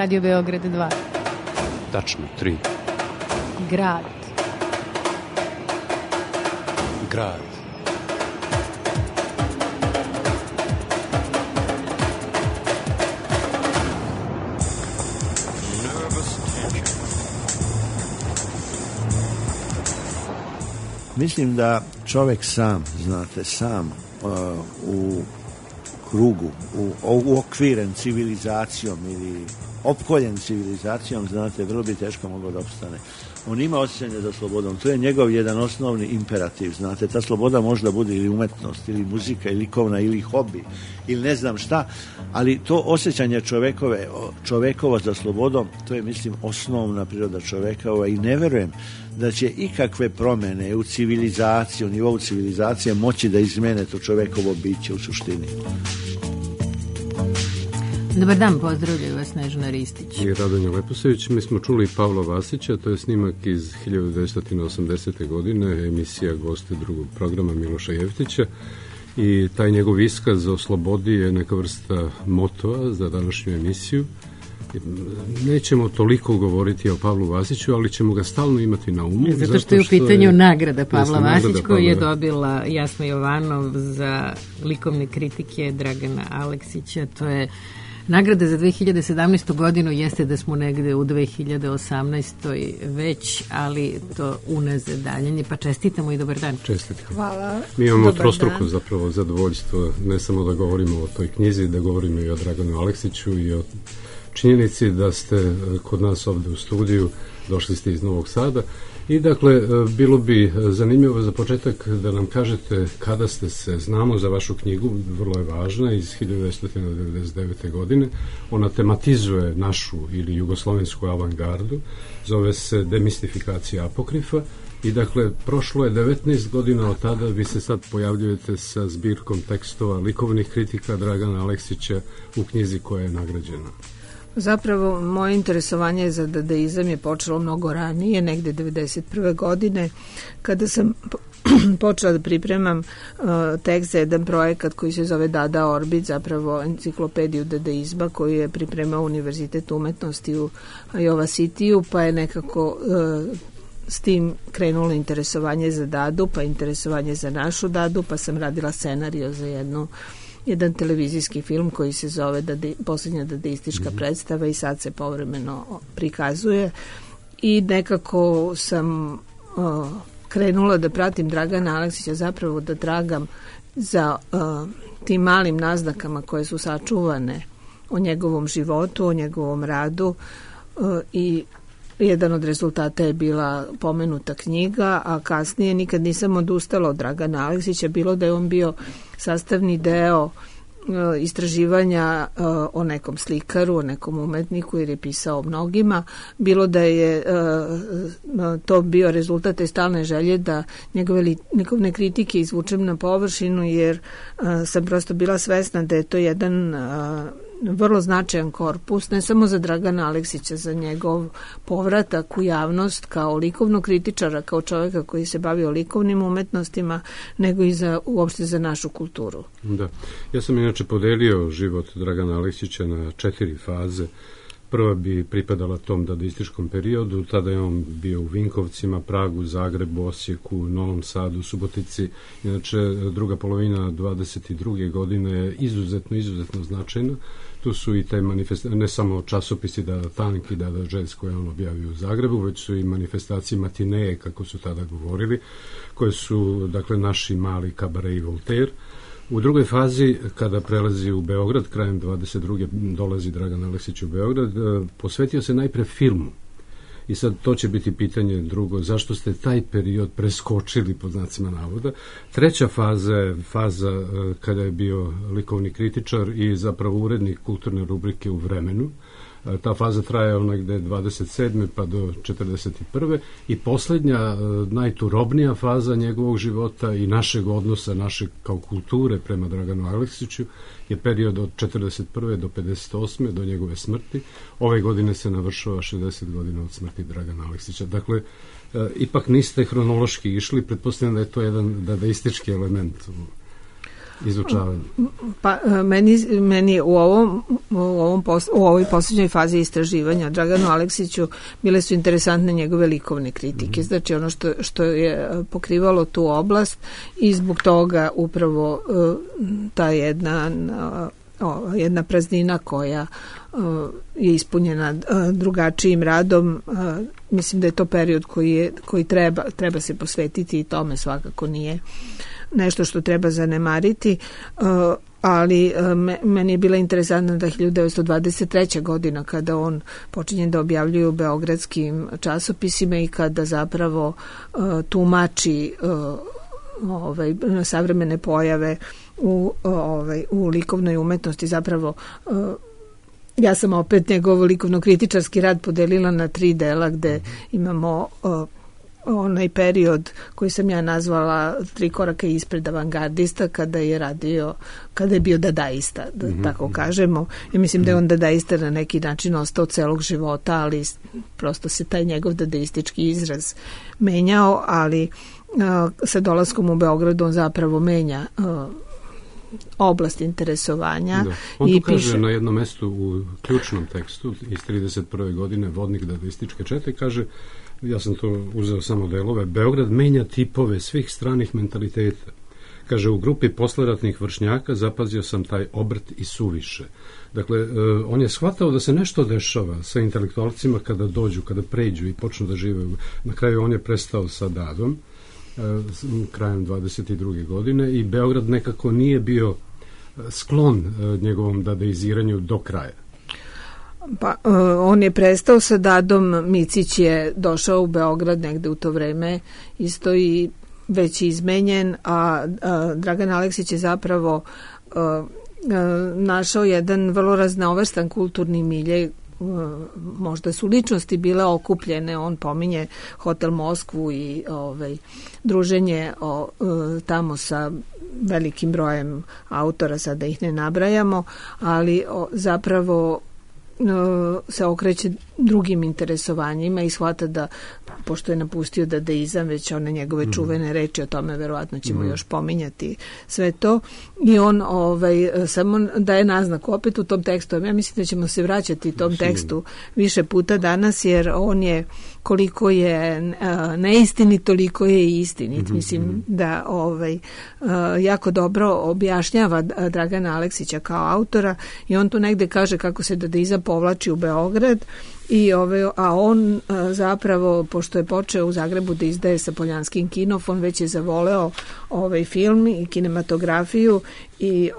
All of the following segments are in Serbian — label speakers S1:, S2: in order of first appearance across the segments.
S1: Radio Beograd 2.
S2: Tačno, 3.
S1: Grad.
S2: Grad.
S3: Mislim da čovjek sam, znate, sam u krugu, uokviren civilizacijom ili opkoljen civilizacijom, znate, vrlo bi teško mogao da opstane. On ima osjećanje za slobodom, to je njegov jedan osnovni imperativ, znate, ta sloboda može da bude ili umetnost, ili muzika, ili likovna, ili hobi, ili ne znam šta, ali to osjećanje čovekova za slobodom, to je, mislim, osnovna priroda čoveka i ne verujem da će ikakve promjene u civilizaciji, u nivou civilizacije moći da izmene to čovekovo biće u suštini.
S1: Dobar dan, pozdravljaju vas Snežana Ristić
S4: i Radonja Leposević. Mi smo čuli Pavla Vasića, to je snimak iz 1980. godine, emisija Gosti drugog programa Miloša Jevtića, i taj njegov iskaz o slobodi je neka vrsta motoa za današnju emisiju. Nećemo toliko govoriti o Pavlu Vasiću, ali ćemo ga stalno imati na umu.
S1: Zato što je u pitanju nagrada Pavla Vasić, koju je dobila Jasna Jovanov za likovne kritike Dragana Aleksića. To je nagrada za 2017. godinu, jeste da smo negde u 2018. već, ali to unazad daljanje, pa čestitamo i dobar dan.
S4: Čestitamo.
S1: Hvala.
S4: Mi imamo trostruko zapravo zadovoljstvo, ne samo da govorimo o toj knjizi, da govorimo i o Draganu Aleksiću i o činjenici da ste kod nas ovde u studiju, došli ste iz Novog Sada i dakle bilo bi zanimljivo za početak da nam kažete kada ste se, znamo za vašu knjigu, vrlo je važna, iz 1999. godine, ona tematizuje našu ili jugoslovensku avangardu, zove se Demistifikacija apokrifa i dakle prošlo je 19 godina od tada, vi se sad pojavljujete sa zbirkom tekstova likovnih kritika Dragana Aleksića u knjizi koja je nagrađena.
S5: Zapravo, moje interesovanje za dadaizam je počelo mnogo ranije, negde 1991. godine, kada sam počela da pripremam tekst za jedan projekat koji se zove Dada Orbit, zapravo enciklopediju dadaizma koju je pripremao Univerzitet umetnosti u Iowa City-u, pa je nekako s tim krenulo interesovanje za Dadu, pa interesovanje za našu Dadu, pa sam radila scenario za jedan televizijski film koji se zove Poslednja dadaistička predstava i sad se povremeno prikazuje i nekako sam krenula da pratim Dragana Aleksića, zapravo da tragam za tim malim naznakama koje su sačuvane o njegovom životu, o njegovom radu i jedan od rezultata je bila pomenuta knjiga, a kasnije nikad nisam odustala od Dragana Aleksića, bilo da je on bio sastavni deo istraživanja o nekom slikaru, o nekom umetniku, jer je pisao o mnogima, bilo da je to bio rezultat te stalne želje da njegove kritike izvučem na površinu, jer sam prosto bila svesna da je to jedan vrlo značajan korpus, ne samo za Dragana Aleksića, za njegov povratak u javnost kao likovnog kritičara, kao čovjeka koji se bavio likovnim umetnostima, nego i uopšte za našu kulturu.
S4: Da. Ja sam inače podelio život Dragana Aleksića na 4 faze. Prva bi pripadala tom dadaističkom periodu, tada je on bio u Vinkovcima, Pragu, Zagrebu, Osijeku, Novom Sadu, Subotici. Inače, druga polovina 22. godine je izuzetno značajna. Tu su i te ne samo časopisi Dada Tank i Dada Jazz koje on objavio u Zagrebu, već su i manifestacije matineje, kako su tada govorili, koje su, dakle, naši mali Kabaret i Voltaire. U drugoj fazi, kada prelazi u Beograd, krajem 22. dolazi Dragan Aleksić u Beograd, posvetio se najpre filmu. I sad to će biti pitanje drugo, zašto ste taj period preskočili, pod znacima navoda. Treća faza je faza kada je bio likovni kritičar i zapravo urednik kulturne rubrike u Vremenu. Ta faza traje negde 27. pa do 41. I poslednja, najturobnija faza njegovog života i našeg odnosa, naše kao kulture prema Draganu Aleksiću je period od 41. do 58. do njegove smrti. Ove godine se navršava 60 godina od smrti Dragana Aleksića. Dakle, ipak niste hronološki išli, pretpostavljam da je to jedan dadaistički element. izučavanje?
S5: Pa meni u ovoj posljednjoj fazi istraživanja Draganu Aleksiću bile su interesantne njegove likovne kritike, znači ono što je pokrivalo tu oblast i zbog toga upravo ta jedna praznina koja je ispunjena drugačijim radom, mislim da je to period koji treba se posvetiti i tome svakako nije nešto što treba zanemariti, ali meni je bila interesantna da 1923. godina kada on počinje da objavljuje u beogradskim časopisima i kada zapravo tumači savremene pojave u likovnoj umetnosti. Zapravo ja sam opet njegov likovno-kritičarski rad podelila na 3 dela gde imamo onaj period koji sam ja nazvala 3 koraka ispred avangardista kada je bio dadaista, tako kažemo. Ja mislim da je on dadaista na neki način ostao celog života, ali prosto se taj njegov dadaistički izraz menjao, ali sa dolaskom u Beogradu on zapravo menja oblast interesovanja.
S4: Da. On tu kaže na jednom mestu u ključnom tekstu iz 31. godine Vodnik dadaističke čete, kaže, ja sam to uzeo samo delove, Beograd menja tipove svih stranih mentaliteta. Kaže, u grupi posleratnih vršnjaka zapazio sam taj obrt i suviše. Dakle, on je shvatao da se nešto dešava sa intelektualcima kada dođu, kada pređu i počnu da žive. Na kraju on je prestao sa Dadom krajem 22. godine i Beograd nekako nije bio sklon njegovom dadaiziranju do kraja.
S5: Pa, on je prestao sa Dadom, Micić je došao u Beograd negde u to vreme, isto i već izmenjen, a Dragan Aleksić je zapravo našao jedan vrlo raznovrstan kulturni milje. Možda su ličnosti bile okupljene, on pominje Hotel Moskvu i druženje tamo sa velikim brojem autora, sad da ih ne nabrajamo, ali zapravo se okreće drugim interesovanjima i shvata da, pošto je napustio dadaizam, već one njegove čuvene reči, o tome verovatno ćemo još pominjati sve to, i on samo daje naznaku opet u tom tekstu. Ja mislim da ćemo se vraćati tom tekstu više puta danas, jer on je, koliko je neistinit, toliko je i istinit. Mislim da jako dobro objašnjava Dragana Aleksića kao autora, i on tu negde kaže kako se dadaizam povlači u Beograd, a on zapravo, pošto je počeo u Zagrebu da izdaje sa Poljanskim Kinov, on već je zavoleo film i kinematografiju i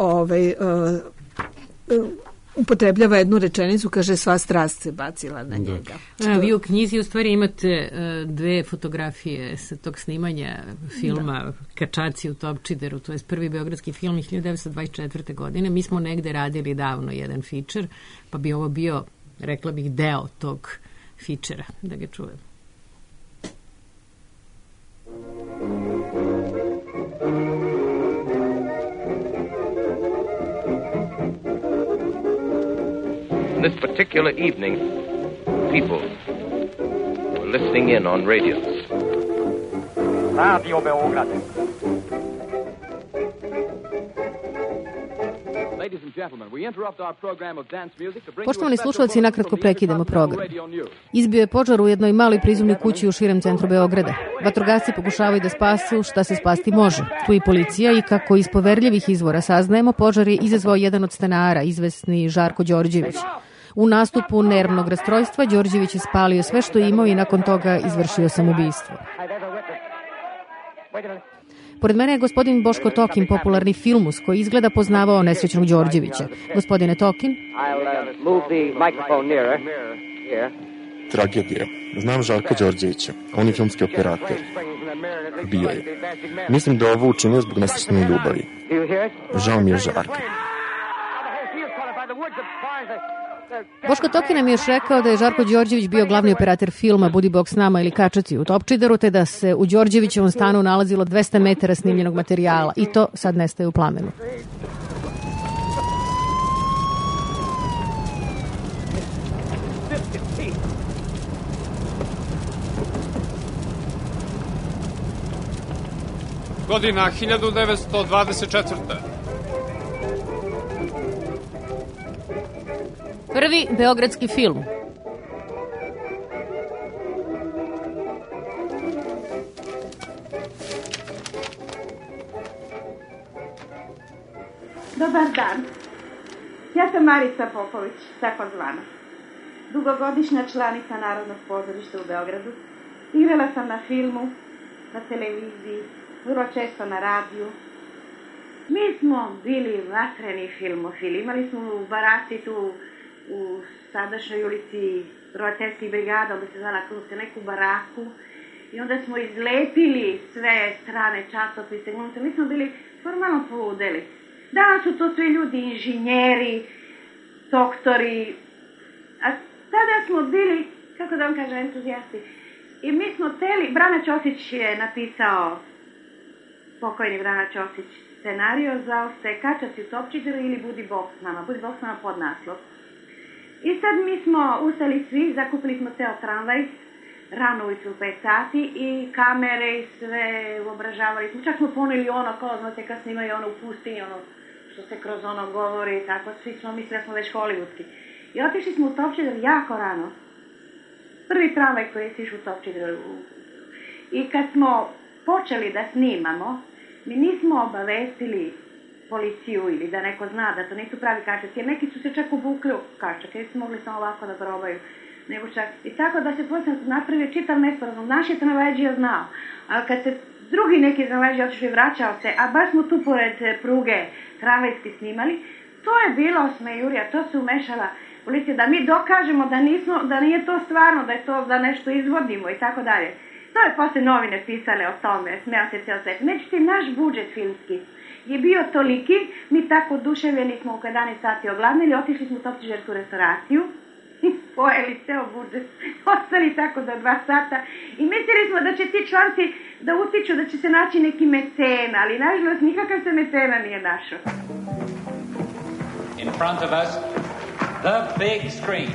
S5: upotrebljava jednu rečenicu, kaže, sva strast se bacila na njega.
S1: Vi u knjizi u stvari imate 2 fotografije sa tog snimanja filma Kačaci u Topčideru, to je prvi beogradski film 1924. godine. Mi smo negde radili davno jedan fičer, pa bi ovo bio, rekla bih, deo tog fičera, da ga čujem.
S6: This particular evening, people were listening in on radios. Radio Beograd.
S7: Poštovani slušalci, nakratko prekidamo program. Izbio je požar u jednoj maloj prizemnoj kući u širem centru Beograda. Vatrogasci pokušavaju da spasu šta se spasti može. Tu i policija, i kako iz poverljivih izvora saznajemo, požar je izazvao jedan od stanara, izvesni Žarko Đorđević. U nastupu nervnog rastrojstva Đorđević je spalio sve što je imao i nakon toga izvršio samoubistvo. Pored mene je gospodin Boško Tokin, popularni filmus, koji izgleda poznavao nesrećnog Đorđevića. Gospodine Tokin?
S8: Tragedija. Znam Žarka Đorđevića. On je filmski operator. Bio je. Mislim da ovo učinio zbog nesrećne ljubavi. Žao mi je Žarka.
S7: Boško Tokin nam je još rekao da je Žarko Đorđević bio glavni operator filma Budi Bog s nama ili Kačaci u Topčideru, te da se u Đorđevićevom stanu nalazilo 200 metara snimljenog materijala, i to sad nestaje u plamenu.
S9: Godina 1924.
S7: Prvi beogradski film.
S9: Dobar dan. Ja sam Marica Popović, takozvana. Dugogodišnja članica Narodnog pozorišta u Beogradu. Igrala sam na filmu, na televiziji, vrlo često na radiju. Mi smo bili vatreni filmofili. Imali smo u Barati tu u sadašnjoj ulici Roditeljskih brigada, onda se zvala kroz neku baraku. I onda smo izlepili sve strane časopise. Mi smo bili formalno poludeli. Danas su to svi ljudi, inženjeri, doktori, a tada smo bili, kako da vam kažem, entuzijasti. I mi smo teli, Brana Ćosić je napisao, pokojni Brana Ćosić, scenario za Kača si u Topčideru ili Budi Bog s nama, Budi Bog s nama pod naslov. I sad mi smo ustali svi, zakupili smo ceo tramvaj, rano ujutru u 5 sati i kamere i sve uobražavali smo. Čak smo poneli ono, kao znate kad snimaju ono u pustinji, ono što se kroz ono govori i tako, svi smo mislili da smo već hollywoodski. I otišli smo u Topčider jako rano. Prvi tramvaj koji je sišao u Topčider. I kad smo počeli da snimamo, mi nismo obavestili policiju ili da neko zna da to nisu pravi kačaci, jer neki su se čak obukli u kačake, jer su mogli samo ovako da probaju. Nego čak. I tako da se posljedno napravio čitav nesporazum. Naš je tramvajđija znao, ali kad se drugi neki tramvajđija otišli i vraćao se, a baš smo tu pored pruge tramvajski snimali, to je bilo smejurija, to se umešala policija, da mi dokažemo da nije to stvarno, da je to da nešto izvodimo i tako dalje. To je posle novine pisale o tome, smeo se ceo svet. Međutim, naš budžet filmski je bio toliki, mi tako oduševljeni smo u 11 sati ogladnili, otišli smo u Topčidersku restauraciju, pojeli ceo budžet, ostali tako do 2 sata i mislili smo da će ti članci da utiču, da će se naći neki mecena, ali nažalost nikakav se mecena nije našao.
S10: In front of us, the big screen.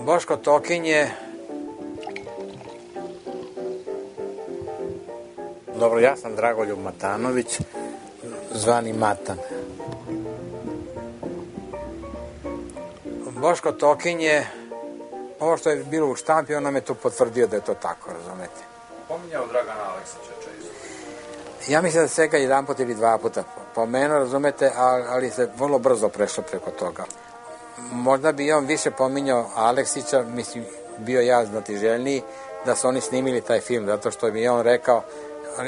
S11: Boško Tokin je... Dobro, ja sam Dragoljub Matanović, zvani Matan. Boško Tokin je, ovo što je bilo u štampi, on nam je to potvrdio da je to tako, razumete.
S12: Pominjao Dragana Aleksića često.
S11: Ja mislim da se ga 1 put ili 2 puta pomenuo, razumete, ali se vrlo brzo prešlo preko toga. Možda bi on više pominjao Aleksića, mislim, bio ja znatiželjniji da su oni snimili taj film, zato što mi je on rekao,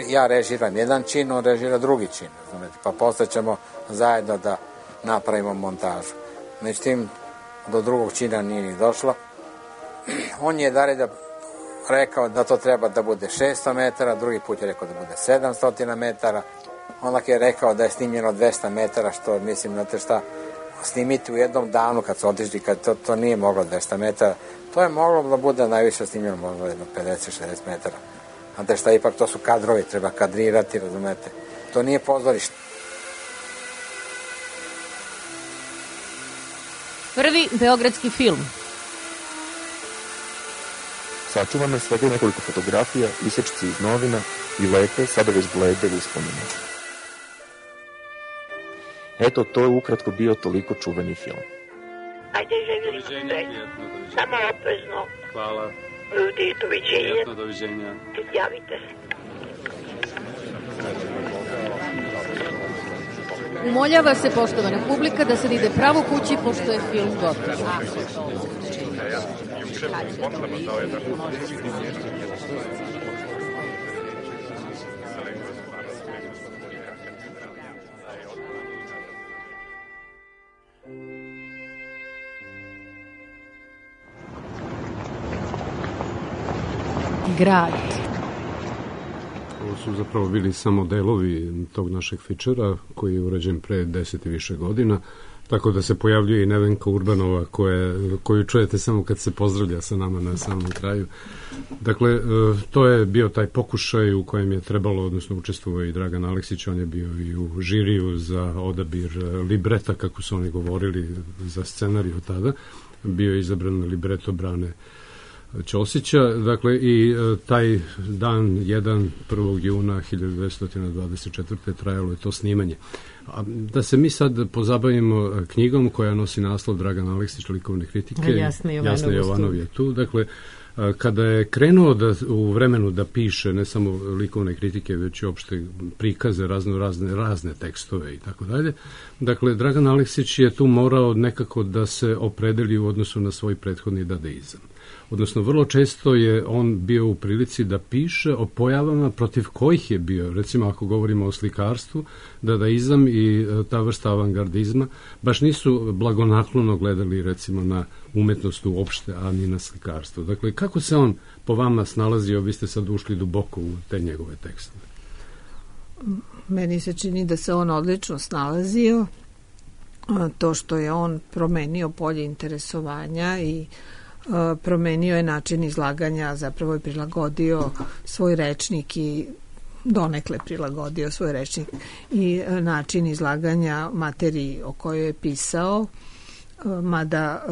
S11: ja režiram jedan čin, on režira drugi čin, razumete, pa posle ćemo zajedno da napravimo montažu. Međutim, do drugog čina nije ni došlo. On je rekao da to treba da bude 600 metara, drugi put je rekao da bude 700 metara, onda je rekao da je snimljeno 200 metara, što mislim, znate šta, snimiti u jednom danu kad su otišli, kad to nije moglo 200 metara, to je moglo da bude najviše snimljeno, možda jedno 50-60 metara. Znate šta, ipak to su kadrovi, treba kadrirati, razumete. To nije pozorište.
S7: Prvi beogradski film.
S8: Sačuvano je svega nekoliko fotografija, isečci iz novina i lepe, sada već blede uspomene. Eto, to je ukratko bio toliko čuveni film.
S13: Ajde, želim sreću. Samo oprezno.
S12: Hvala.
S13: Ljudi, doviđenja.
S12: Prijatno, doviđenja.
S13: Javite se.
S7: Umoljava se, poštovana publika, da sad ide pravo kući, pošto je film gotov. Grad.
S4: Ovo su zapravo bili samo delovi tog našeg fičera koji je urađen pre 10 i više godina, tako da se pojavljuje i Nevenka Urbanova koju čujete samo kad se pozdravlja sa nama na samom kraju. Dakle, to je bio taj pokušaj u kojem je trebalo, odnosno učestvovao i Dragan Aleksić, on je bio i u žiriju za odabir libreta, kako su oni govorili, za scenariju tada. Bio je izabran libreto Brane Ćosića, dakle i taj dan 1. juna 1924. trajalo je to snimanje. Da se mi sad pozabavimo knjigom koja nosi naslov Dragan Aleksić, likovne kritike.
S1: Jasna
S4: Jovanov je tu. Dakle, kada je krenuo u vremenu da piše ne samo likovne kritike, već i opšte prikaze, razne tekstove i tako dalje, dakle, Dragan Aleksić je tu morao nekako da se opredeli u odnosu na svoj prethodni dadaizam. Odnosno, vrlo često je on bio u prilici da piše o pojavama protiv kojih je bio, recimo ako govorimo o slikarstvu, dadaizam i ta vrsta avangardizma baš nisu blagonaklono gledali recimo na umetnost uopšte, a ni na slikarstvo. Dakle, kako se on po vama snalazio, vi ste sad ušli duboko u te njegove tekstove?
S5: Meni se čini da se on odlično snalazio, to što je on promenio polje interesovanja i promenio je način izlaganja, zapravo je prilagodio svoj rečnik i donekle prilagodio svoj rečnik i način izlaganja materiji o kojoj je pisao, mada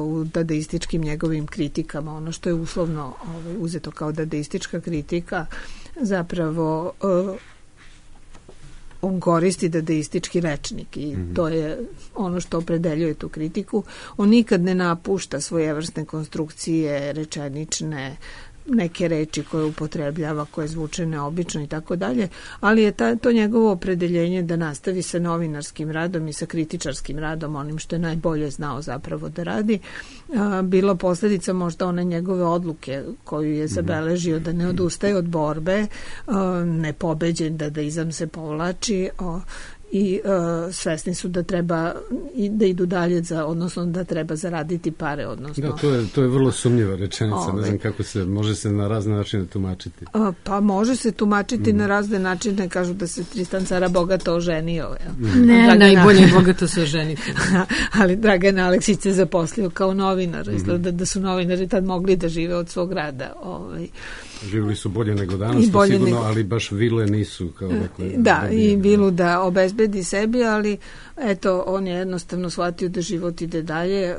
S5: u dadaističkim njegovim kritikama, ono što je uslovno uzeto kao dadaistička kritika, zapravo on koristi dadaistički rečnik i to je ono što opredeljuje tu kritiku. On nikad ne napušta svojevrsne konstrukcije rečenične, neke reči koje upotrebljava, koje zvuče neobično i tako dalje, ali je to njegovo opredeljenje da nastavi sa novinarskim radom i sa kritičarskim radom, onim što je najbolje znao zapravo da radi, bilo posljedica možda one njegove odluke koju je zabeležio da ne odustaje od borbe, nepobeđen, dadaizam se povlači i svesni su da treba da idu dalje, odnosno da treba zaraditi pare. Odnosno,
S4: da, to je vrlo sumnjiva rečenica, ne znam kako može se na razne načine tumačiti.
S5: Pa može se tumačiti na razne načine, kažu da se Tristan cara bogato oženio.
S1: Ne, najbolje bogato se oženiti.
S5: Ali Dragan Aleksić se zaposlio kao novinar, izgleda da su novinari tad mogli da žive od svog rada.
S4: Živjeli su bolje nego danas, to sigurno, ali baš vile nisu.
S5: Da, i vilu da obezbedi sebi, ali eto, on je jednostavno shvatio da život ide dalje,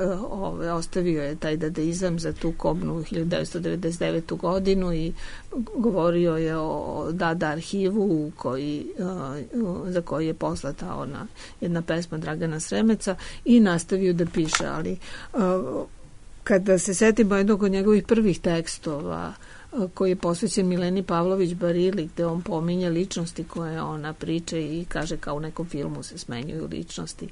S5: ostavio je taj dadaizam za tu kobnu 1999. godinu i govorio je o Dada arhivu za koji je poslata ona jedna pesma Dragana Sremeca i nastavio da piše, ali kada se setimo jednog od njegovih prvih tekstova koji je posvećen Mileni Pavlović Barili, gde on pominje ličnosti koje ona priča i kaže kao u nekom filmu se smenjuju ličnosti.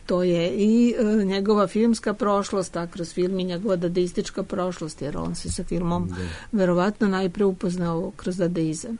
S5: To je i njegova filmska prošlost, a kroz film i njegova dadaistička prošlost, jer on se sa filmom verovatno najpre upoznao kroz dadaizam.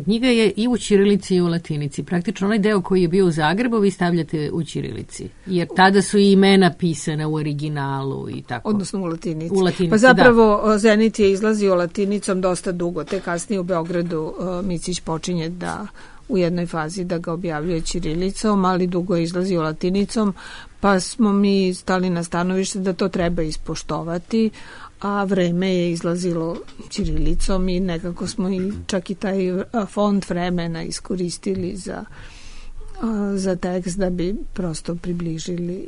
S1: Knjiga je i u ćirilici i u latinici. Praktično onaj deo koji je bio u Zagrebu vi stavljate u ćirilici. Jer tada su i imena pisana u originalu i tako.
S5: Odnosno u latinici. Pa zapravo Zenit je izlazio latinicom dosta dugo. Te kasnije u Beogradu Micić počinje da u jednoj fazi da ga objavljuje ćirilicom, ali dugo je izlazio latinicom, pa smo mi stali na stanovište da to treba ispoštovati, a vreme je izlazilo ćirilicom i nekako smo i čak i taj font vremena iskoristili za tekst da bi prosto približili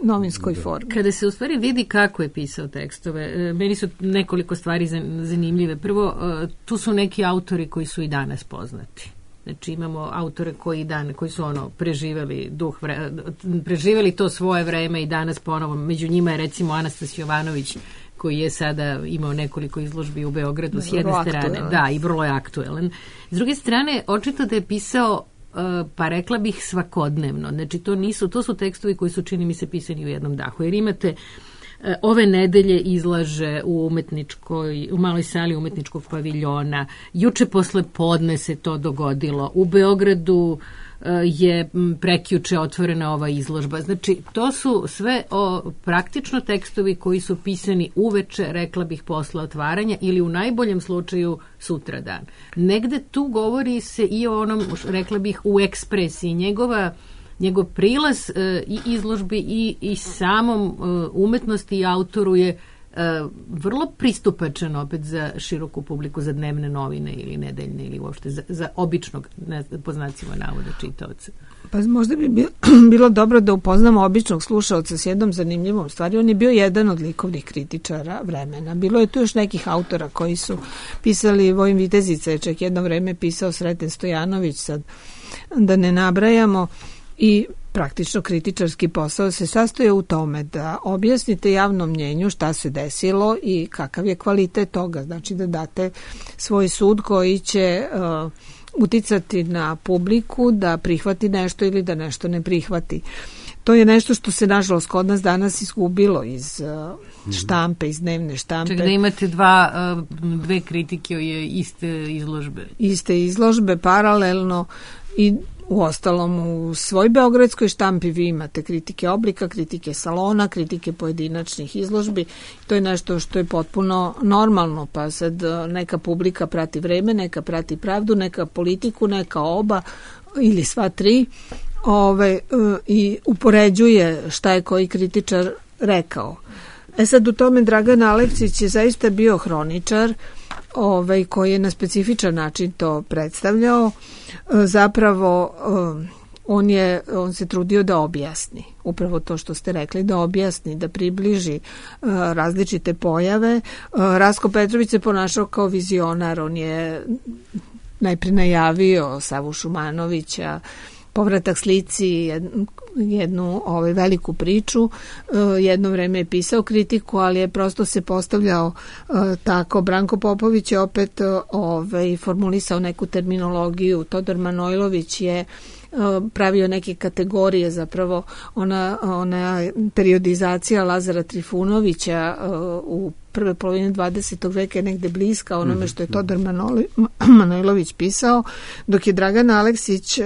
S5: novinskoj formi.
S1: Kada se u stvari vidi kako je pisao tekstove, meni su nekoliko stvari zanimljive. Prvo, tu su neki autori koji su i danas poznati. Znači imamo autore koji su preživeli to svoje vreme i danas ponovo. Među njima je recimo Anastas Jovanović, koji je sada imao nekoliko izložbi u Beogradu s jedne strane. Da, i vrlo je aktuelan. S druge strane, očito da je pisao pa rekla bih svakodnevno. Znači to su tekstovi koji su, čini mi se, pisani u jednom dahu. Jer imate ove nedelje izlaže u maloj sali umetničkog paviljona. Juče posle podne se to dogodilo. U Beogradu je prekjuče otvorena ova izložba. Znači, to su sve praktično tekstovi koji su pisani uveče, rekla bih, posle otvaranja ili u najboljem slučaju sutradan. Negde tu govori se i o onom, rekla bih, u ekspresiji. Njegov prilaz i izložbi i samom umetnosti i autoru je vrlo pristupačan opet za široku publiku, za dnevne novine ili nedeljne ili uopšte za običnog, po znacima navoda, čitaoca.
S5: Pa možda bi bilo dobro da upoznamo običnog slušaoca s jednom zanimljivom stvari. On je bio jedan od likovnih kritičara vremena. Bilo je tu još nekih autora koji su pisali, Vojin Vitezica je čak jedno vreme pisao, Sreten Stojanović, sad da ne nabrajamo, i praktično kritičarski posao se sastoje u tome da objasnite javnom mnjenju šta se desilo i kakav je kvalitet toga. Znači da date svoj sud koji će uticati na publiku da prihvati nešto ili da nešto ne prihvati. To je nešto što se nažalost kod nas danas izgubilo iz štampe, iz dnevne štampe.
S1: Čak da imate dve kritike iste izložbe.
S5: Iste izložbe, paralelno, i uostalom u svoj beogradskoj štampi vi imate kritike oblika, kritike salona, kritike pojedinačnih izložbi. To je nešto što je potpuno normalno, pa sad neka publika prati vreme, neka prati pravdu, neka politiku, neka oba ili sva tri, i upoređuje šta je koji kritičar rekao. Sad u tome Dragan Aleksić je zaista bio hroničar, koji je na specifičan način to predstavljao. Zapravo on se trudio da objasni upravo to što ste rekli, da objasni, da približi različite pojave. Rasko Petrović se ponašao kao vizionar, on je najprije najavio Savu Šumanovića, Povratak slici, jednu veliku priču. Jedno vreme je pisao kritiku, ali je prosto se postavljao tako. Branko Popović je opet formulisao neku terminologiju. Todor Manojlović je pravio neke kategorije, zapravo ona periodizacija Lazara Trifunovića u prve polovine 20. veka je negde bliska onome što je Todor Manojlović pisao, dok je Dragan Aleksić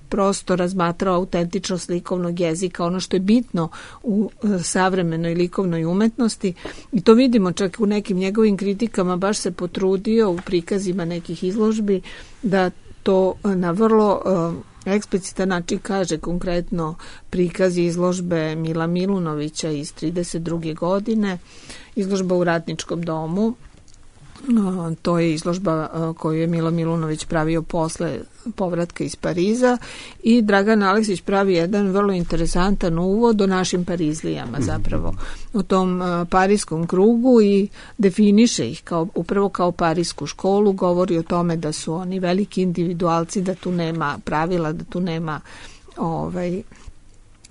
S5: prosto razmatrao autentičnost likovnog jezika, ono što je bitno u savremenoj likovnoj umetnosti, i to vidimo čak u nekim njegovim kritikama. Baš se potrudio u prikazima nekih izložbi da to na vrlo eksplicitan način kaže. Konkretno prikaz izložbe Mila Milunovića iz 32. godine, izložba u Ratničkom domu. To je izložba koju je Milo Milunović pravio posle povratka iz Pariza, i Dragan Aleksić pravi jedan vrlo interesantan uvod o našim Parizlijama, zapravo u tom parijskom krugu, i definiše ih upravo kao parijsku školu. Govori o tome da su oni veliki individualci, da tu nema pravila, da tu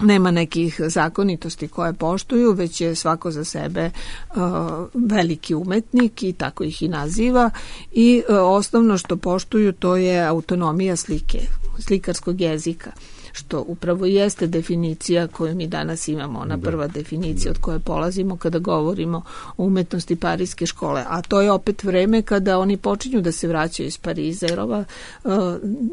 S5: nema nekih zakonitosti koje poštuju, već je svako za sebe veliki umetnik, i tako ih i naziva, i osnovno što poštuju to je autonomija slike, slikarskog jezika, što upravo jeste definicija koju mi danas imamo, ona prva definicija od koje polazimo kada govorimo o umetnosti parijske škole. A to je opet vreme kada oni počinju da se vraćaju iz Pariza, jer ova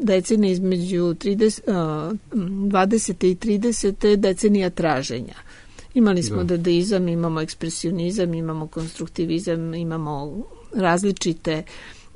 S5: decenija između 20. i 30. je decenija traženja. Imali smo dadaizam, imamo ekspresionizam, imamo konstruktivizam, imamo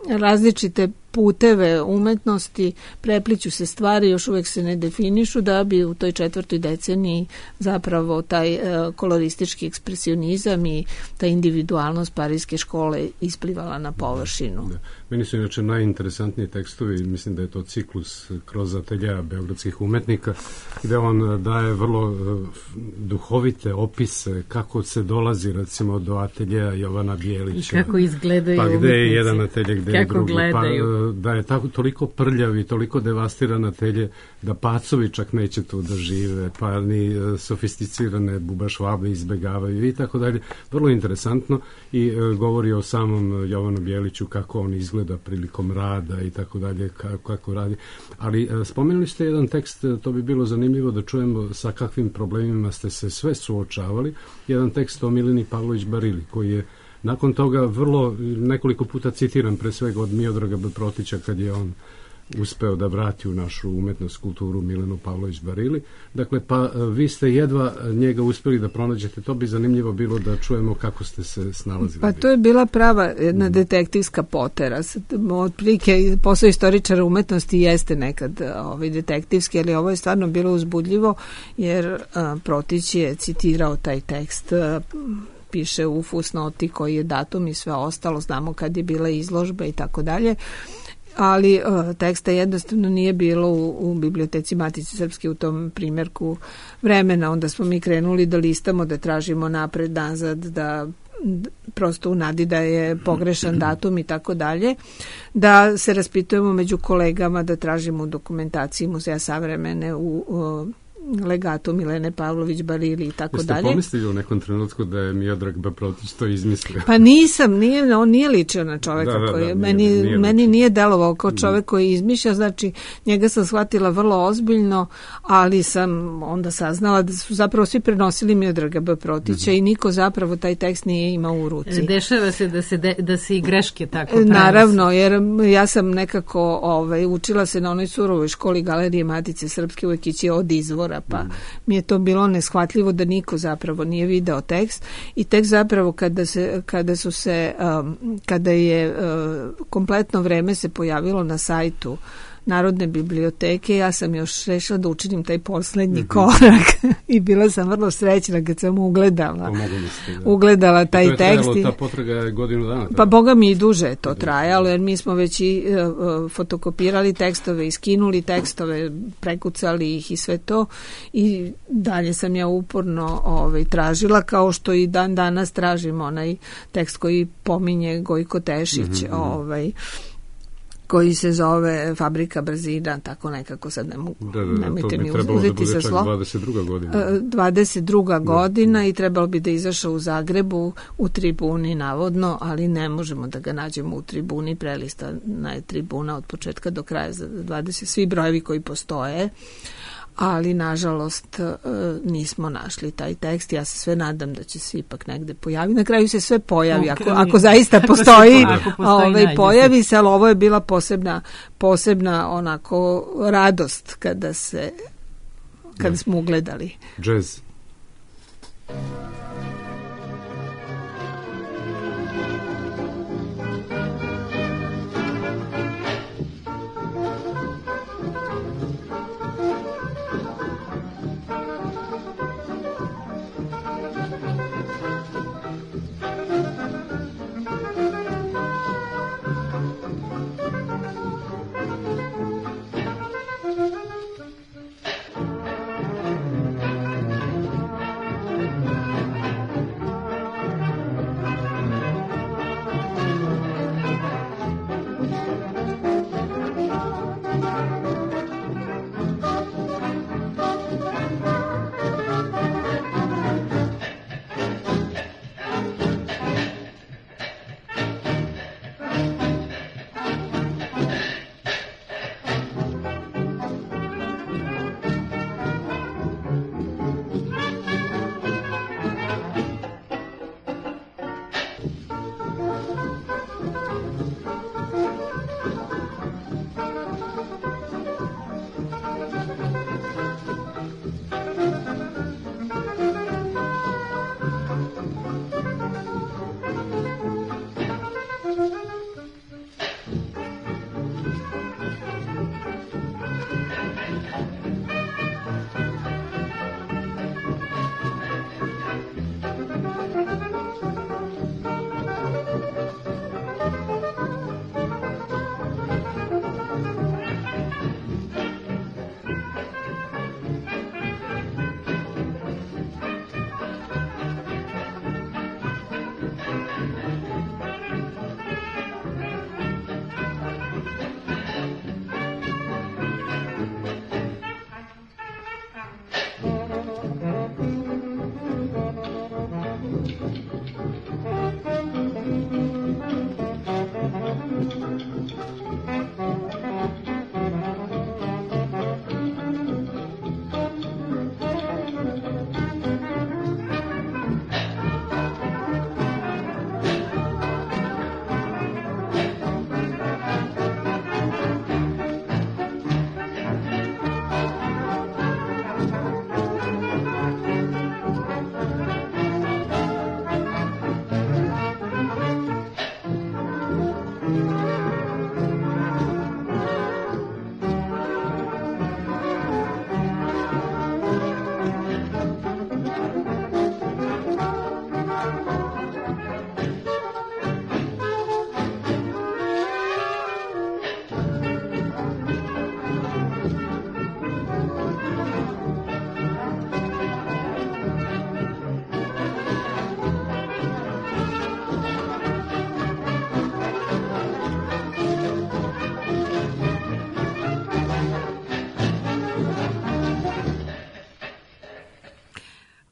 S5: različite puteve umetnosti, prepliću se stvari, još uvek se ne definišu, da bi u toj 4. deceniji zapravo taj koloristički ekspresionizam i ta individualnost parijske škole isplivala na površinu.
S4: Da. Meni su inače najinteresantniji tekstovi, mislim da je to ciklus Kroz atelja beogradskih umetnika, gde on daje vrlo duhovite opise kako se dolazi recimo do ateljeja Jovana Bijelića.
S1: Kako izgledaju
S4: pa
S1: umetnici.
S4: Gde je jedan atelje, gde je drugi.
S1: Gledaju.
S4: Da je toliko prljav i toliko devastiran atelje da pacovi čak neće tu da žive, pa ni sofisticirane bubašvabe izbegavaju i tako dalje. Vrlo interesantno, i govori o samom Jovanu Bijeliću, kako on izgleda prilikom rada i tako dalje, kako radi. Ali spomenuli ste jedan tekst, to bi bilo zanimljivo da čujemo sa kakvim problemima ste se sve suočavali. Jedan tekst o Mileni Pavlović Barili, koji je nakon toga vrlo, nekoliko puta citiram, pre svega od Miodraga Protića, kad je on uspeo da vrati u našu umetnost, kulturu Milenu Pavlović Barili. Dakle, pa vi ste jedva njega uspeli da pronađete. To bi zanimljivo bilo da čujemo kako ste se snalazili.
S5: Pa to je bila prava jedna detektivska potera. Otprilike, posao istoričara umetnosti jeste nekad detektivski, ali ovo je stvarno bilo uzbudljivo, jer Protić je citirao taj tekst, piše u fusnoti koji je datum i sve ostalo, znamo kad je bila izložba i tako dalje. ali teksta jednostavno nije bilo u biblioteci Matice Srpske u tom primjerku vremena. Onda smo mi krenuli da listamo, da tražimo napred, nazad, da prosto u nadi da je pogrešan datum i tako dalje, da se raspitujemo među kolegama, da tražimo u dokumentaciji Muzeja savremene, u legatu Milene Pavlović Barili i tako dalje.
S4: Jeste pomislili u nekom trenutku da je Miodrag B. Protić to izmislio?
S5: Pa nisam, on nije ličio na čoveka koji meni nije delovao kao čovek koji izmišlja, znači njega sam shvatila vrlo ozbiljno, ali sam onda saznala da su zapravo svi prenosili Miodraga B. Protića i niko zapravo taj tekst nije imao u ruci.
S1: Dešava se da se i greške tako prenose.
S5: Naravno, jer ja sam nekako učila se na onoj surovoj školi Galerije Matice Srpske, uvek ići od izvora, pa mi je to bilo neshvatljivo da niko zapravo nije video tekst i tek zapravo kada je kompletno vreme se pojavilo na sajtu Narodne biblioteke, ja sam još rešila da učinim taj poslednji korak i bila sam vrlo srećna kad sam ugledala taj tekst.
S4: Ta potraga je godinu dana.
S5: Pa boga mi i duže je to trajalo, jer mi smo već i fotokopirali tekstove, iskinuli tekstove, prekucali ih i sve to i dalje sam ja uporno tražila, kao što i dan danas tražim onaj tekst koji pominje Gojko Tešić, koji se zove Fabrika brzina, tako nekako, sad nemojte mi uzeti sa slova.
S4: 22. godina.
S5: 22. godina i trebalo bi da izašao u Zagrebu u Tribuni, navodno, ali ne možemo da ga nađemo u Tribuni, prelistana je Tribuna od početka do kraja za 20, svi brojevi koji postoje, ali nažalost nismo našli taj tekst. Ja se sve nadam da će se ipak negde pojaviti. Na kraju se sve pojavi, ako zaista postoji, pojavi se, ali ovo je bila posebna onako radost kada smo ugledali.
S4: Jazz.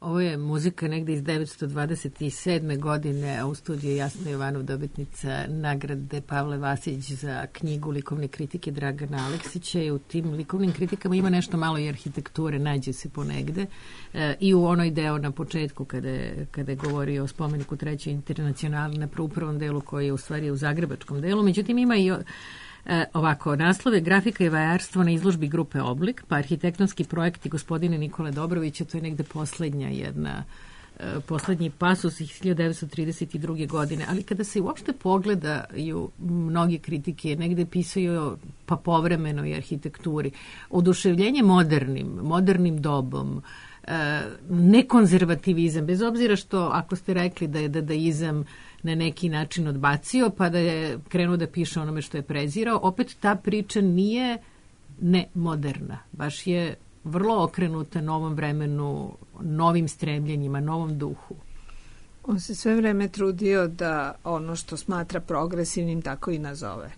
S1: Ovo je muzika negde iz 1927. godine, a u studiju je Jasna Jovanov, dobitnica nagrade Pavle Vasić za knjigu likovne kritike Dragana Aleksića, i u tim likovnim kritikama ima nešto malo i arhitekture, nađe se ponegde, i u onoj deo na početku kada je govorio o spomeniku Treće internacionalne u prvom delu, koji je u stvari u zagrebačkom delu. Međutim, ima i ovako, naslove grafika i vajarstvo na izložbi grupe Oblik, pa arhitektonski projekti gospodine Nikole Dobrovića, to je negde poslednji pasus iz 1932. godine, ali kada se uopšte pogledaju mnoge kritike, negde pisaju pa povremeno i arhitekturi, oduševljenje modernim dobom, nekonzervativizam, bez obzira što, ako ste rekli da je dadaizam na neki način odbacio, pa da je krenuo da piše onome što je prezirao, opet ta priča nije nemoderna, baš je vrlo okrenuta novom vremenu, novim stremljenjima, novom duhu.
S5: On se sve vreme trudio da ono što smatra progresivnim tako i nazove,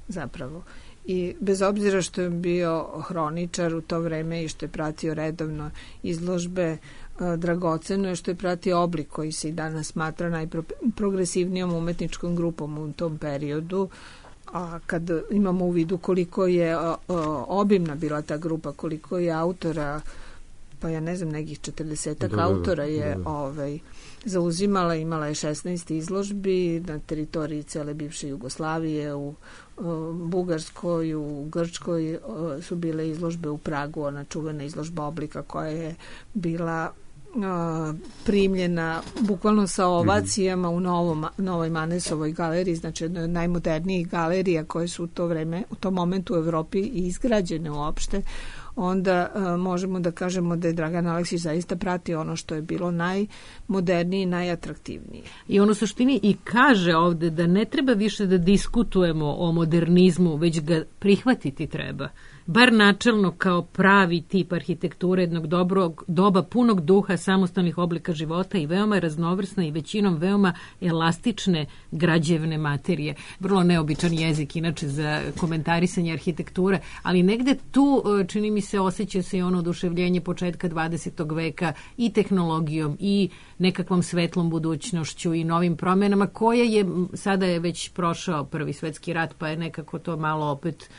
S5: zapravo. I bez obzira što je bio hroničar u to vreme i što je pratio redovno izložbe, dragoceno je što je pratio Oblik, koji se i danas smatra najprogresivnijom umetničkom grupom u tom periodu. A kad imamo u vidu koliko je obimna bila ta grupa, koliko je autora, pa ja ne znam, nekih 40 autora je zauzimala, imala je 16 izložbi na teritoriji cele bivše Jugoslavije, u Bugarskoj, u Grčkoj su bile izložbe, u Pragu ona čuvena izložba Oblika koja je bila primljena bukvalno sa ovacijama u Novoj Manesovoj galeriji, znači jedna od najmodernijih galerija koje su u tom momentu u Evropi i izgrađene uopšte. Onda možemo da kažemo da je Dragan Aleksić zaista pratio ono što je bilo najmodernije i najatraktivnije.
S1: I on u suštini i kaže ovde da ne treba više da diskutujemo o modernizmu, već ga prihvatiti treba. Bar načelno kao pravi tip arhitekture jednog dobrog doba, punog duha, samostalnih oblika života i veoma raznovrsna i većinom veoma elastične građevne materije. Vrlo neobičan jezik, inače, za komentarisanje arhitekture, ali negde tu, čini mi se, osjeća se i ono oduševljenje početka 20. veka i tehnologijom i nekakvom svetlom budućnošću i novim promenama, sada je već prošao Prvi svetski rat, pa je nekako to malo opet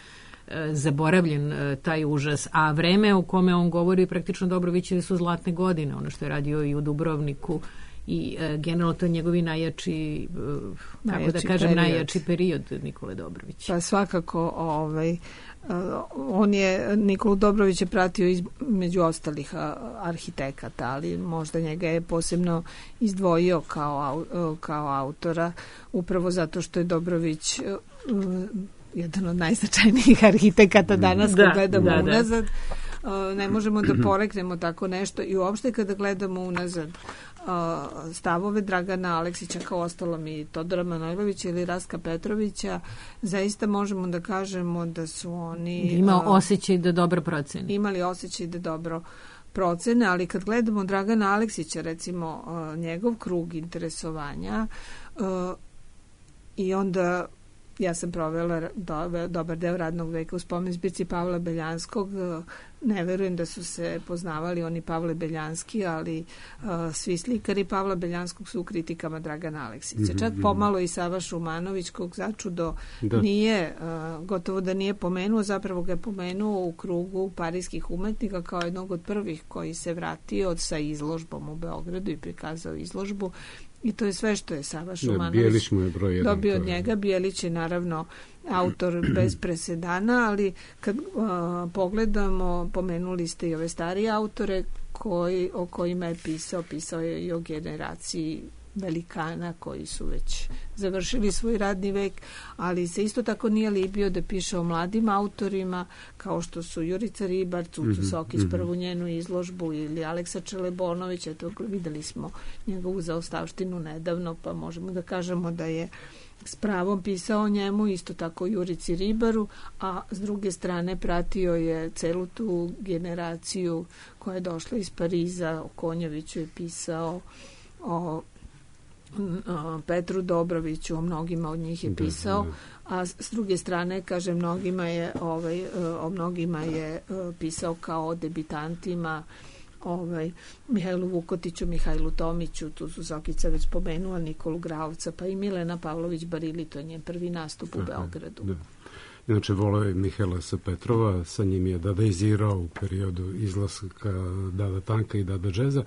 S1: zaboravljen taj užas, a vreme o kome on govori praktično Dobrovićeve su zlatne godine, ono što je radio i u Dubrovniku i generalno to je njegovi najjači period Nikole Dobrovića.
S5: Pa svakako Nikolu Dobrović je pratio među ostalih arhitekata, ali možda njega je posebno izdvojio kao autora, upravo zato što je Dobrović jedan od najznačajnijih arhitekata danas kad gledamo unazad. Ne možemo da poreknemo tako nešto i uopšte kada gledamo unazad stavove Dragana Aleksića, kao ostalom i Todora Manojlovića ili Rastka Petrovića, zaista možemo da kažemo da su oni
S1: imali osjećaj da dobro
S5: procene, ali kad gledamo Dragana Aleksića, recimo njegov krug interesovanja, i onda ja sam provela dobar deo radnog veka u spomen zbirci Pavla Beljanskog. Ne verujem da su se poznavali oni Pavle Beljanski, ali svi slikari Pavla Beljanskog su u kritikama Dragana Aleksića. Čak pomalo i Sava Šumanović, kog začudo gotovo da nije pomenuo, zapravo ga je pomenuo u krugu parijskih umetnika kao jednog od prvih koji se vratio sa izložbom u Beogradu i prikazao izložbu. I to je sve što je Sava Šumanović dobio od njega. Bijelić je naravno autor bez presedana, ali kad pogledamo, pomenuli ste i ove starije autore o kojima je pisao je i o generaciji velikana koji su već završili svoj radni vek, ali se isto tako nije libio da piše o mladim autorima kao što su Jurica Ribar, Cucu Sokić, prvu njenu izložbu, ili Aleksa Čelebonović. Eto, videli smo njegovu zaostavštinu nedavno, pa možemo da kažemo da je s pravom pisao o njemu, isto tako Jurici Ribaru, a s druge strane pratio je celu tu generaciju koja je došla iz Pariza. O Konjoviću je pisao, o Petru Dobroviću, o mnogima od njih je pisao, a s druge strane, kaže, o mnogima je pisao kao o debitantima, Mihajlu Vukotiću, Mihajlu Tomiću, tu su Zokica već spomenula, Nikolu Gravca, pa i Milena Pavlović Barili, to je njen prvi nastup u Beogradu.
S4: Da. Inače, voleo je Mihaila S. Petrova, sa njim je dadaizirao u periodu izlaska Dada Tanka i Dada Džeza.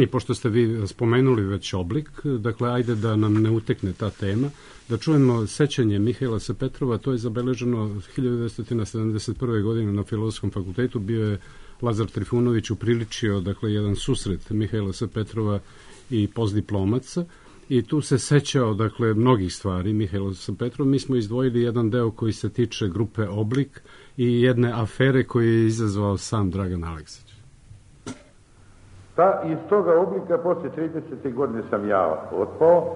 S4: I pošto ste vi spomenuli već oblik, dakle, ajde da nam ne utekne ta tema, da čujemo sećanje Mihaila S. Petrova, to je zabeleženo 1971. godine na Filozofskom fakultetu, bio je Lazar Trifunović upriličio, dakle, jedan susret Mihaila S. Petrova i postdiplomaca, i tu se sećao, dakle, mnogih stvari Mihajlo S. Petrov. Mi smo izdvojili jedan deo koji se tiče grupe Oblik i jedne afere koju je izazvao sam Dragan Aleksić.
S14: Iz toga Oblika posle 30. godine sam ja otpao.